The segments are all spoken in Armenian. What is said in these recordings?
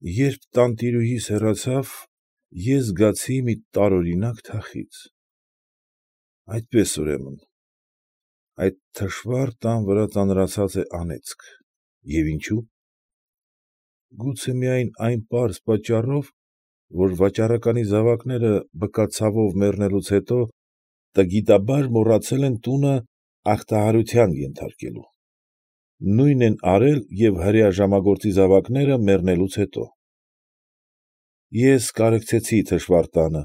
Երբ տանտիրուհիս հեռացավ, ես զգացի մի տարօրինակ թախիծ։ Այդպես, ուրեմն, այդ թշվառ տան վրա ծանրացած է անեծք, և ինչո՞ւ։ Գուցե միայն այն պարզ պատճառով, որ վաճառականի զավակները բկացավով մեռնելուց հետո տգիտաբար մոռացել են տունը ախտահանության ենթարկելու։ Նույնն են արել և հրեա ժամագործի զավակները մեռնելուց հետո։ Ես կարեկցեցի թշվառ տանը,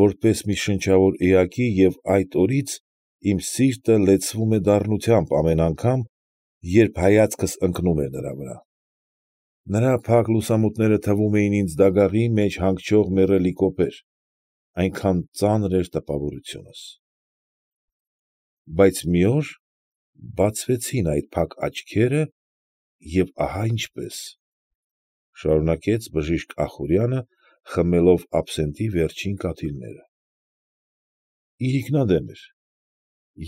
որպես մի շնչավոր էակի և այդ օրից իմ սիրտը լեցվում է դառնությամբ ամեն անգամ, երբ հայացքս ընկնում էր նրա վրա։ Նրա փակ լուսամուտները թվում էին ինձ դագաղի մեջ հանգչող մեռելի կոպեր, այնքան ծանր էր տպավորությունս։ Բայց մի օր բացվեցին այդ փակ աչքերը, և ահա ինչպես, ֊ շարունակեց բժիշկ Ախուրյանը, խմելով աբսենտի վերջին կաթիլները. Իրիկնադեմ էր։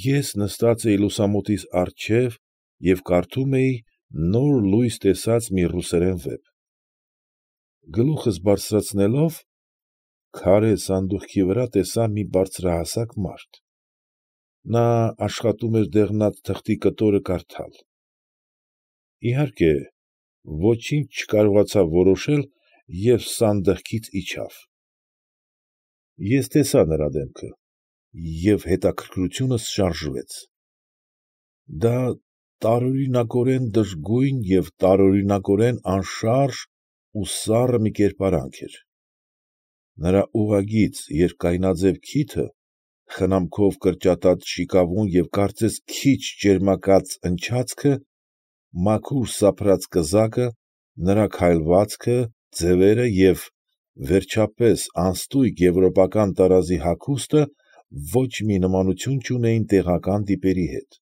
Ես նստած էի լուսամուտիս առջև և կարդում էի նոր լույս տեսած մի ռուսերեն վեպ։ Գլուխս բարձրացնելով, քարե սանդուղքի վրա տեսա մի բարձրահասակ մարդ։ Նա աշխատում էր դեղնած թղթի կտորը կարդալ։ Իհարկե, ոչինչ չկարողացավ որոշել և սանդուղքից իջավ։ Ես տեսա նրա դեմքը, և հետաքրքրությունս շարժվեց։ Դա տարօրինակորեն դժգույն և տարօրինակորեն անշարժ ու սառը մի կերպարանք էր։ Նրա ուղղագիծ, երկայնաձև քիթը, խնամքով կրճատած շիկավուն և կարծես քիչ ճերմակած ընչացքը, մաքուր սափրած կզակը, նրա քայլվածքը, ձևերը և, վերջապես, անըստգյուտ եվրոպական տարազի հագուստը ոչ մի նմանություն չունեին տեղական տիպերի հետ։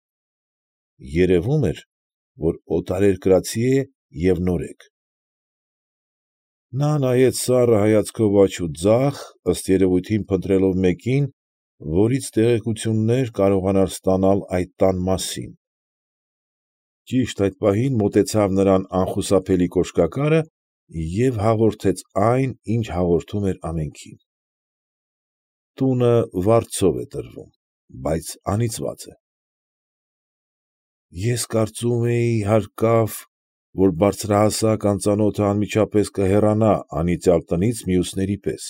Երևում էր, որ օտարերկրացի է և նորեկ։ Նա նայեց սառը հայացքով աջ ու ձախ, ըստ երևույթին փնտրելով մեկին, որից տեղեկություններ կարողանար ստանալ այդ տան մասին։ Ճիշտ այդ պահին մոտեցավ նրան անխուսափելի կոշկակարը և հաղորդեց այն, ինչ հաղորդում էր ամենքին. Տունը վարձով է տրվում, բայց անիծված է։ Ես կարծում էի, հարկավ, որ բարձրահասակ անծանոթը անմիջապես կհեռանա անիծյալ տնից մյուսների պես։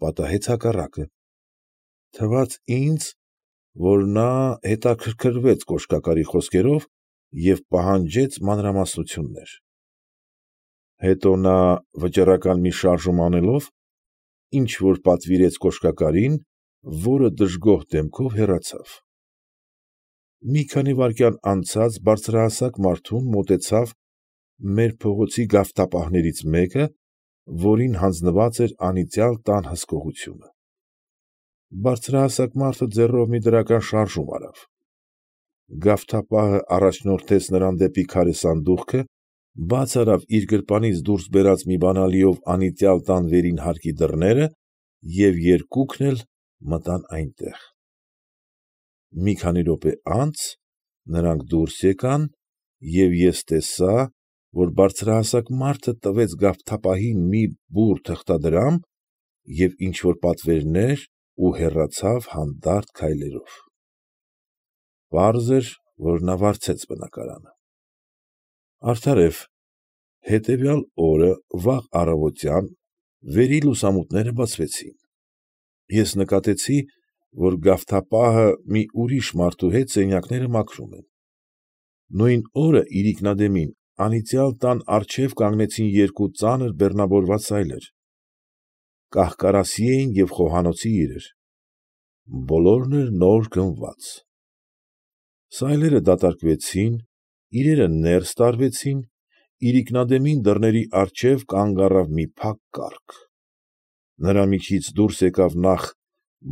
Պատահեց հակառակը։ Թվաց ինձ, որ նա հետաքրքրվեց կոշկակարի խոսքերով և պահանջեց մանրամասնություններ։ Հետո նա, վճռական մի շարժում անելով, ինչ֊որ պատվիրեց կոշկակարին, որը դժգոհ դեմքով հեռացավ։ Մի քանի վայրկյան անցած բարձրահասակ մարդուն մոտեցավ մեր փողոցի գավթապահներից մեկը, որին հանձնված էր անիծյալ տան հսկողությունը։ Բարձրահասակ մարդը ձեռով մի դրական շարժում արավ։ Գավթապահը առաջնորդեց նրան դեպի քարե սանդուղքը, բաց արավ իր գրպանից դուրս բերած մի բանալիով անիծյալ տան վերին հարկի դռները և երկուսն էլ մտան այնտեղ։ Մի քանի րոպե անց նրանք դուրս եկան, և ես տեսա, որ բարձրահասակ մարդը տվեց գավթապահին մի բուռ թղթադրամ և ինչ֊որ պատվերներ ու հեռացավ հանդարտ քայլերով։ Պարզ էր, որ նա վարձեց բնակարանը։ Արդարև, հետևյալ օրը վաղ առավոտյան վերի լուսամուտները բացվեցին։ Ես նկատեցի, որ գավթապահը մի ուրիշ մարդու հետ սենյակները մաքրում են։ Նույն օրը իրիկնադեմին անիծյալ տան առջև կանգնեցին երկու ծանր բեռնավորված սայլեր։ Կահ֊կարասի էին և խոհանոցի իրեր։ Բոլորն էլ նոր գնված։ Սայլերը դատարկվեցին, իրերը ներս տարվեցին, իրիկնադեմին դռների առջև կանգ առավ մի փակ կառք։ Նրա միջից դուրս եկավ նախ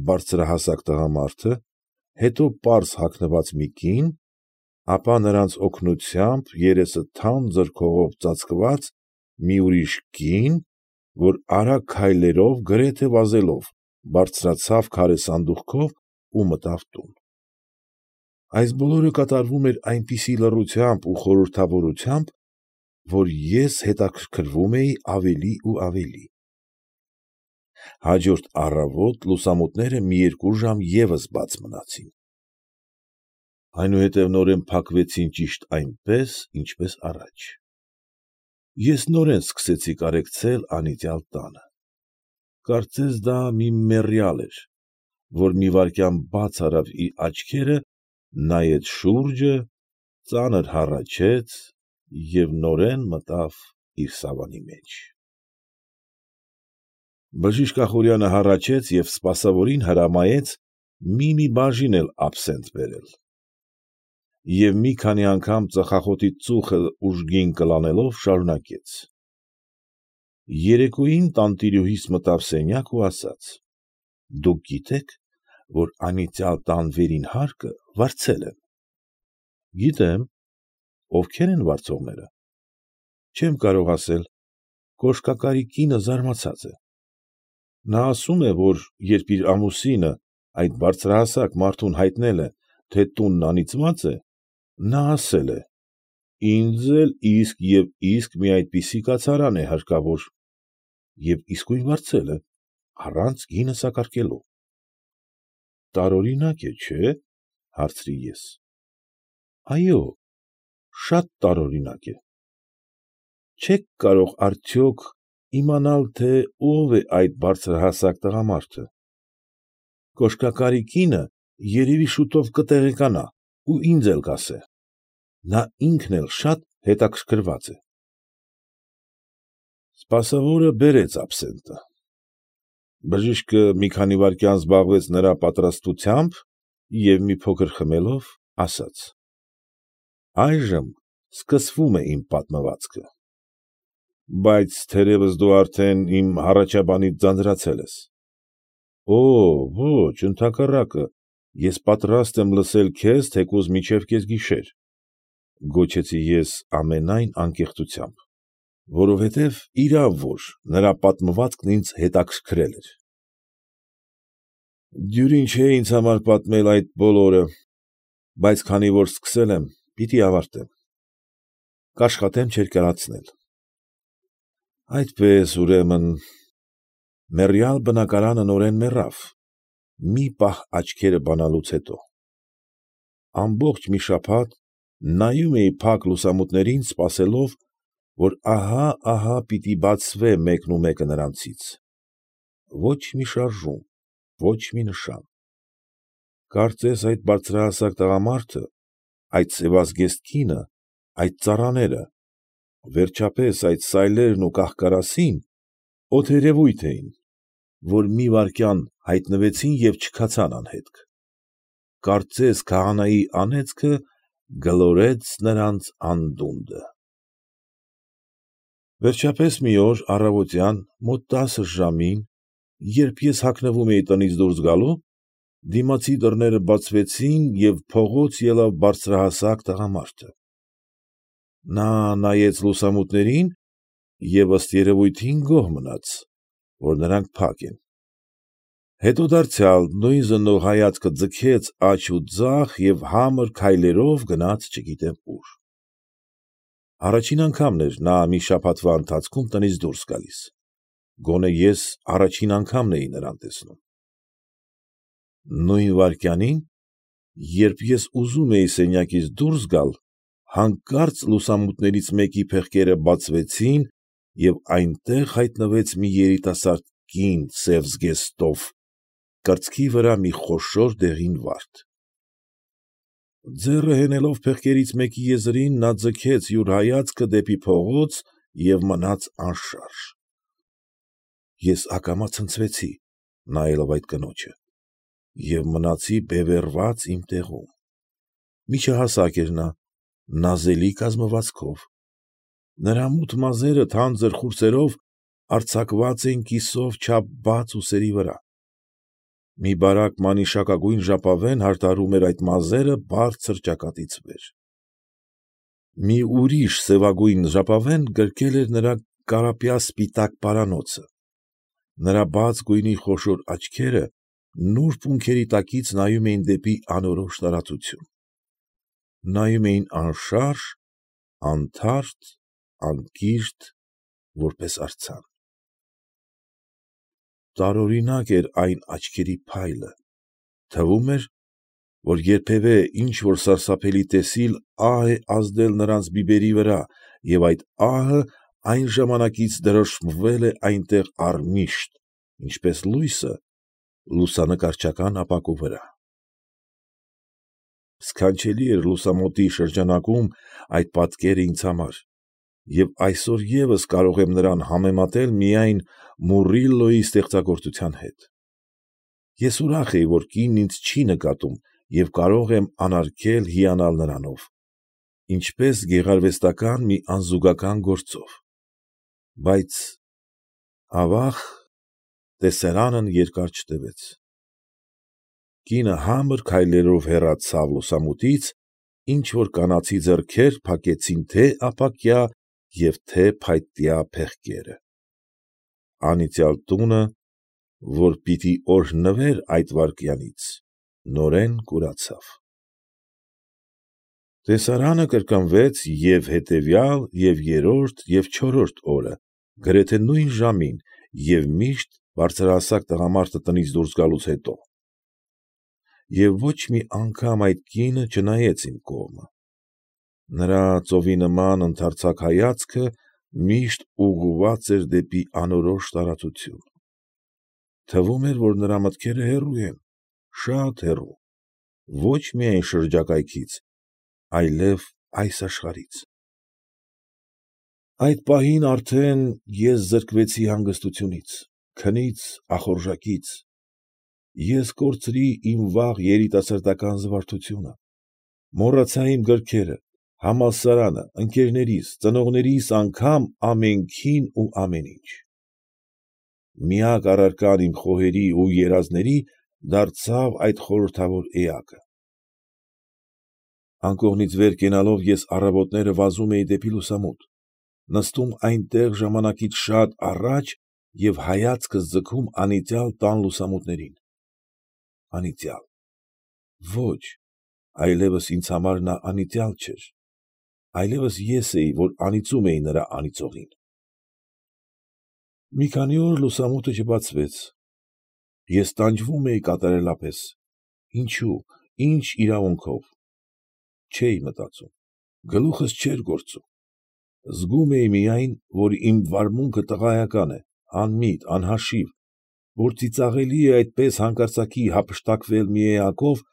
բարձրահասակ տղամարդը, հետո պարզ հագնված մի կին, ապա նրանց օգնությամբ երեսը թանձր քողով ծածկված մի ուրիշ կին, որ արագ քայլերով, գրեթե վազելով, բարձրացավ քարե սանդուղքով ու մտավ տուն։ Այս բոլորը կատարվում էր այնպիսի լռությամբ ու խորհրդավորությամբ, որ ես հետաքրքրվում էի ավելի ու ավելի։ Հաջորդ առավոտ լուսամուտները մի երկու ժամ ևս բաց մնացին։ Այնուհետև նորեն փակվեցին ճիշտ այնպես, ինչպես առաջ։ Ես նորեն սկսեցի կարեկցել անիծյալ տանը։ Կարծես դա մի մեռյալ էր, որ մի վայրկյան բաց արավ իր աչքերը, նայեց շուրջը, ծանր հառաչեց և նորեն մտավ իր սավանի մեջ։ Բժիշկ Ախուրյանը հառաչեց և սպասավորին հրամայեց մի բաժին էլ աբսենտ բերել և մի քանի անգամ ծխախոտի ծուխը ուժգին կլանելով շարունակեց. ֊ Երեկոյին տանտիրուհիս մտավ սենյակ ու ասաց. «Դուք գիտե՞ք, որ անիծյալ տան վերին հարկը վարձել են»։ ֊ Գիտեմ։ ֊ Ովքե՞ր են վարձողները։ ֊ Չեմ կարող ասել։ Կոշկակարի կինը զարմացած է։ Նա ասում է, որ երբ իր ամուսինը, այդ բարձրահասակ մարդուն հայտնել է, թե տունն անիծված է, նա ասել է. «Ինձ էլ իսկ և իսկ մի այդպիսի կացարան է հարկավոր» և իսկույն վարձել է, առանց գինը սակարկելու։ ֊ Տարօրինակ է, չէ՞, հարցրի ես։ ֊ Այո, շատ տարօրինակ է։ ֊ Չե՞ք կարող արդյոք իմանալ, թե ով է այդ բարձրահասակ տղամարդը։ ֊ Կոշկակարի կինը երևի շուտով կտեղեկանա ու ինձ էլ կասե։ Նա ինքն էլ շատ հետաքրքրված է։ Սպասավորը բերեց աբսենտը։ Բժիշկը մի քանի վայրկյան զբաղվեց նրա պատրաստությամբ և մի փոքր խմելով, ասաց. «Այժմ սկսվում է իմ պատմվածքը։ Բայց թերևս դու արդեն իմ հառաջաբանից ձանձրացել ես։ ֊ Ոչ, ընդհակառակը, ես պատրաստ եմ լսել քեզ թեկուզ մինչև կեսգիշեր, ֊ գոչեցի ես ամենայն անկեղծությամբ, որովհետև իրավ որ նրա պատմվածքն ինձ հետաքրքրել էր։ Դյուրին չէ ինձ համար պատմել այդ բոլորը, բայց քանի որ սկսել եմ, պիտի ավարտեմ։ Կաշխատեմ չերկարացնել։ Այդպես, ուրեմն, մեռյալ բնակարանը նորեն մեռավ, մի պահ աչքերը բանալուց հետո։ Ամբողջ մի շաբաթ նայում էի փակ լուսամուտներին, սպասելով, որ ահա֊ահա պիտի բացվե մեկնումեկը նրանցից։ Ոչ մի շարժում, ոչ մի նշան։ Կարծես այդ բարձրահասակ տղամարդը, այդ սևազգեստ կինը, այդ ծառաները, վերջապես այդ սայլերն ու կահ֊կարասին օդերևույթ էին, որ մի վայրկյան հայտնվեցին և չքացան անհետք։ Կարծես քահանայի անեծքը գլորեց նրանց անդունդը։ Վերջապես մի օր առավոտյան մոտ 10 ժամին, երբ ես հագնվում էի տնից դուրս գալու, դիմացի դռները բացվեցին և փողոց ելավ բարձրահասակ տղամարդը։ Նա նայեց լուսամուտներին և ըստ երևույթին գոհ մնաց, որ նրանք փակ են։ Հետո դարձյալ նույն զննող հայացքը ձգեց աջ ու ձախ և համր քայլերով գնաց չգիտեմ ուր։ Առաջին անգամն էր նա մի շաբաթվա ընթացքում տնից դուրս գալիս, գոնե ես առաջին անգամն էի նրան տեսնում։ Նույն վայրկյանին, երբ ես ուզում էի սենյակից դուրս գալ, հանկարծ լուսամուտներից մեկի փեղկերը բացվեցին և այնտեղ հայտնվեց մի երիտասարդ կին սև զգեստով, կրծքի վրա մի խոշոր դեղին վարդ։ Ձեռը հենելով փեղկերից մեկի եզրին, նա ձգեց յուր հայացքը դեպի փողոց և մնաց անշարժ։ Ես ակամա ցնցվեցի, նայելով այդ կնոջը, և մնացի բևեռված իմ տեղում։ Միջահասակ էր նա, նազելի կազմվածքով։ Նրա մութ մազերը թանձր խուրձերով արձակված էին կիսով չափ բաց ուսերի վրա։ Մի բարակ մանիշակագույն ժապավեն հարդարում էր այդ մազերը բարձր ճակատից վեր։ Մի ուրիշ սևագույն ժապավեն գրկել էր նրա կարապյա սպիտակ պարանոցը։ Նրա բաց գույնի խոշոր աչքերը նուրբ ունքերի տակից նայում էին դեպի անորոշ տարածություն։ Նայում էին անշարժ, անթարթ, անկիրթ, որպես արձան։ Տարօրինակ էր այն աչքերի փայլը, թվում էր, որ երբևէ ինչ֊որ սարսափելի տեսիլ ահ է ազդել նրանց բիբերի վրա և այդ ահը այն ժամանակից դրոշմվել է այնտեղ առմիշտ, ինչպես լույսը լուսանկարչական ապակու վրա։ Սքանչելի էր լուսամուտի շրջանակում այդ պատկերը ինձ համար, և այսօր ևս կարող եմ նրան համեմատել միայն Մուռիլլոյի ստեղծագործության հետ։ Ես ուրախ էի, որ կինն ինձ չի նկատում և կարող եմ անարգել հիանալ նրանով, ինչպես գեղարվեստական մի անզուգական գործով։ Բայց, ավաղ, տեսարանն երկար չտևեց։ Կինը համր քայլերով հեռացավ լուսամուտից, ինչ֊որ կանացի ձեռքեր փակեցին թե՛ ապակյա և թե՛ փայտյա փեղկերը։ Անիծյալ տունը, որ պիտի օրհնվեր այդ վայրկյանից, նորեն կուրացավ։ Տեսարանը կրկնվեց և՛ հետևյալ, և՛ երրորդ, և՛ չորրորդ օրը, գրեթե նույն ժամին և միշտ բարձրահասակ տղամարդը տնից դուրս գալուց հետո։ Եվ ոչ մի անգամ այդ կինը չնայեց իմ կողմը։ Նրա ծովի նման ընդարձակ հայացքը միշտ ուղղված էր դեպի անորոշ տարածություն։ Թվում էր, որ նրա մտքերը հեռու են, շատ հեռու, ոչ միայն շրջակայքից, այլև այս աշխարհից։ Այդ պահին արդեն ես զրկվեցի հանգստությունից, քնից, ախորժակից։ Ես կորցրի իմ վաղ երիտասարդական զվարթությունը, մոռացա իմ գրքերը, համալսարանը, ընկերներիս, ծնողներիս անգամ ամենքին ու ամեն ինչ։ Միակ առարկան իմ խոհերի ու երազների դարձավ այդ խորհրդավոր էակը։ Անկողնից վեր կենալով ես առավոտները վազում էի դեպի լուսամուտ, նստում այնտեղ ժամանակից շատ առաջ և հայացքս ձգում անիծյալ տան լուսամուտներին։ Անիծյալ։ Ոչ, այլևս ինձ համար նա անիծյալ չէր, այլևս ես էի, որ անիծում էի նրա անիծողին։ Մի քանի օր լուսամուտը չբացվեց։ Ես տանջվում էի կատարելապես։ Ինչո՞ւ, ի՞նչ իրավունքով։ Չէի մտածում, գլուխս չէր գործում։ Զգում էի միայն, որ իմ վարմունքը տղայական է, անմիտ, անհաշիվ, որ ծիծաղելի է այդպես հանկարծակի հափշտակվել մի էակով,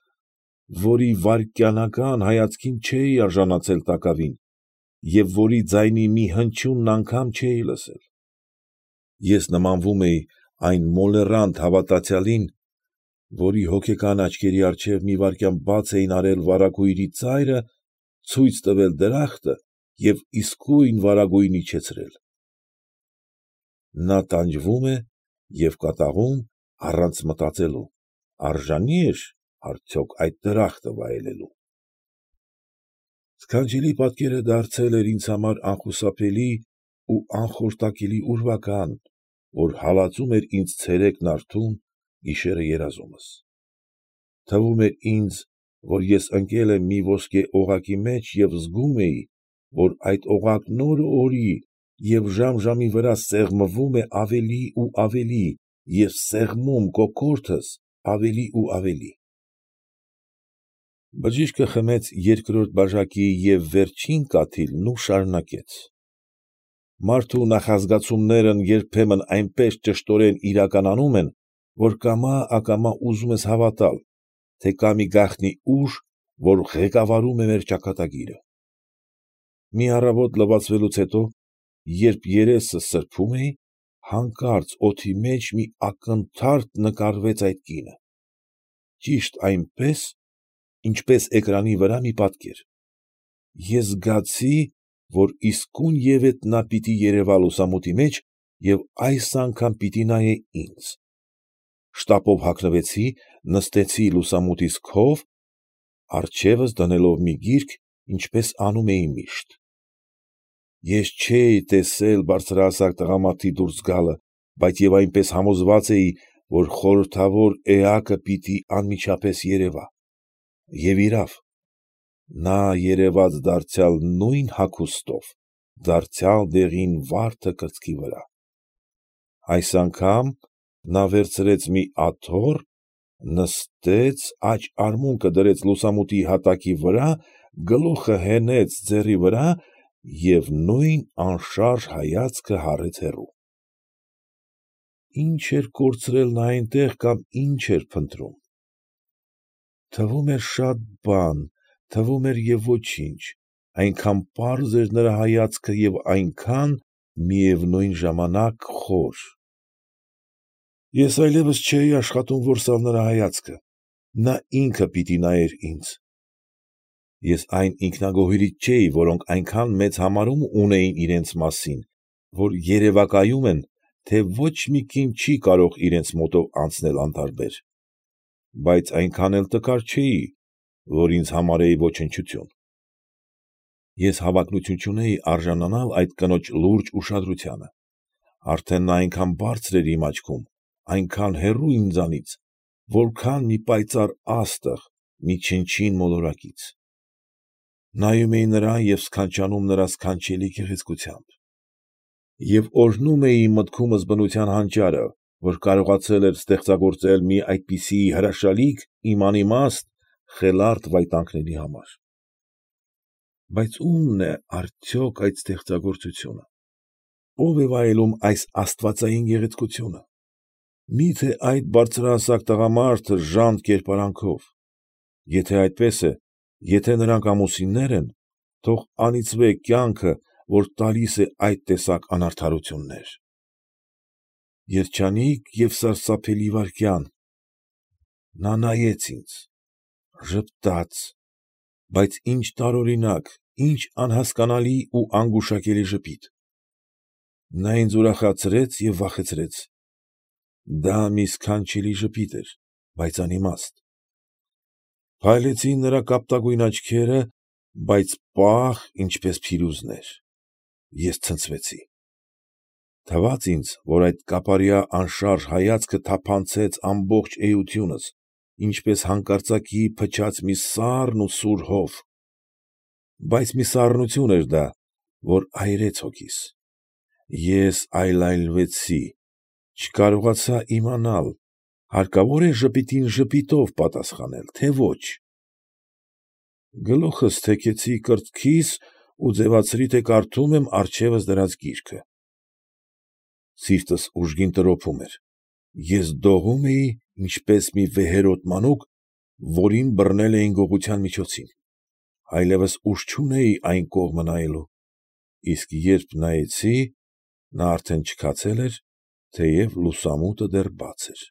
որի վայրկենական հայացքին չէի արժանացել տակավին և որի ձայնի մի հնչյունն անգամ չէի լսել։ Ես նմանվում էի այն մոլեռանդ հավատացյալին, որի հոգեկան աչքերի առջև մի վայրկյան բաց էին արել վարագույրի ծայրը, ցույց տվել դրախտը և իսկույն վարագույրն իջեցրել։ Նա տանջվում է և կատաղում առանց մտածելու, արժանի՞ էր արդյոք այդ դրախտը վայելելու։ Սքանչելի պատկերը դարձել էր ինձ համար անխուսափելի ու անխորտակելի ուրվական, որ հալածում էր ինձ ցերեկն արթուն, գիշերը երազումս։ Թվում էր ինձ, որ ես ընկել եմ մի ոսկե օղակի մեջ և զգում էի, որ այդ օղակն օր֊օրի և ժամ֊ժամի վրա սեղմվում է ավելի ու ավելի և սեղմում կոկորդս ավելի ու ավելի։ Բժիշկը խմեց երկրորդ բաժակի և վերջին կաթիլն ու շարունակեց. Մարդու նախազգացումներն երբեմն այնպես ճշտորեն իրականանում են, որ կամա֊ակամա ուզում ես հավատալ, թե կա մի գաղտնի ուժ, որ ղեկավարում է մեր ճակատագիրը։ Մի առավոտ լվացվելուց հետո, երբ երեսս սրբում էի, հանկարծ օդի մեջ մի ակնթարթ նկարվեց այդ կինը։ Ճիշտ այնպես, ինչպես էկրանի վրա մի պատկեր։ Ես զգացի, որ իսկույն ևեթ նա պիտի երևա լուսամուտի մեջ և այս անգամ պիտի նայե ինձ։ Շտապով հագնվեցի, նստեցի լուսամուտիս քով, առջևս դնելով մի գիրք, ինչպես անում էի միշտ։ Ես չէի տեսել բարձրահասակ տղամարդի դուրս գալը, բայց և այնպես համոզված էի, որ խորհրդավոր էակը պիտի անմիջապես երևա։ Եվ իրավ, նա երևաց դարձյալ նույն հագուստով, դարձյալ դեղին վարդը կրծքի վրա։ Այս անգամ նա վերցրեց մի աթոռ, նստեց, աջ արմունկը դրեց լուսամուտի հատակի վրա, գլուխը հենեց ձեռքի վրա և նույն անշարժ հայացքը հառեց հեռու։ Ի՞նչ էր կորցրել նա այնտեղ կամ ի՞նչ էր փնտրում։ Թվում էր շատ բան, թվում էր և ոչինչ, այնքան պաղ էր նրա հայացքը և այնքան, միևնույն ժամանակ, խոր։ Ես այլևս չէի աշխատում որսալ նրա հայացքը, նա ինքը պիտի նայեր ինձ։ Ես այն ինքնագոհներից չէի, որոնք այնքան մեծ համարում ունեին իրենց մասին, որ երևակայում են, թե ոչ մի կին չի կարող իրենց մոտով անցնել անտարբեր, բայց այնքան էլ տկար չէի, որ ինձ համարեի ոչնչություն։ Ես հավակնություն չունեի արժանանալ այդ կնոջ լուրջ ուշադրությանը, արդեն նա այնքան բարձր էր իմ աչքում, այնքան հեռու ինձանից, որքան մի պայծառ աստղ մի չնչին մոլորակից։ Նայում էի նրան և սքանչանում նրա սքանչելի գեղեցկությամբ։ Եվ օրհնում էի մտքումս բնության հանճարը, որ կարողացել էր ստեղծագործել մի այդպիսի հրաշալիք իմ անիմաստ, խելառ տվայտանքների համար։ Բայց ո՞ւմն է արդյոք այդ ստեղծագործությունը, ո՞վ է վայելում այս աստվածային գեղեցկությունը։ Մի՞թե այդ բարձրահասակ տղամարդը ժանտ կերպարանքով։ Եթե այդպես է, եթե նրանք ամուսիններ են, թող անիծվե կյանքը, որ տալիս է այդ տեսակ անարդարություններ։ Երջանիկ և սարսափելի վայրկյան։ Նա նայեց ինձ, ժպտաց, բայց ինչ տարօրինակ, ինչ անհասկանալի ու անգուշակելի ժպիտ։ Նա ինձ ուրախացրեց և վախեցրեց։ Դա մի սքանչելի ժպիտ էր, բայց անիմաստ։ Փայլեցին նրա կապտագույն աչքերը, բայց պաղ, ինչպես փիրուզաներ։ Ես ցնցվեցի։ Թվաց ինձ, որ այդ կապարյա անշարժ հայացքը թափանցեց ամբողջ էությունս, ինչպես հանկարծակի փչած մի սառն ու սուր հով։ Բայց մի սառնություն էր դա, որ այրեց հոգիս։ Ես այլայլվեցի, չկարողացա իմանալ, հարկավո՞ր է ժպիտին ժպիտով պատասխանել, թե ոչ։ Գլուխս թեքեցի կրծքիս ու ձևացրի, թե կարդում եմ առջևս դրած գիրքը։ Սիրտս ուժգին տրոփում էր, ես դողում էի, ինչպես մի վեհերաս մանուկ, որին բռնել էին գողության միջոցին, այլևս ուժ չունեի այն կողմը նայելու, իսկ երբ նայեցի, նա արդեն չքացել էր, թեև լուսամուտը դեռ բաց էր։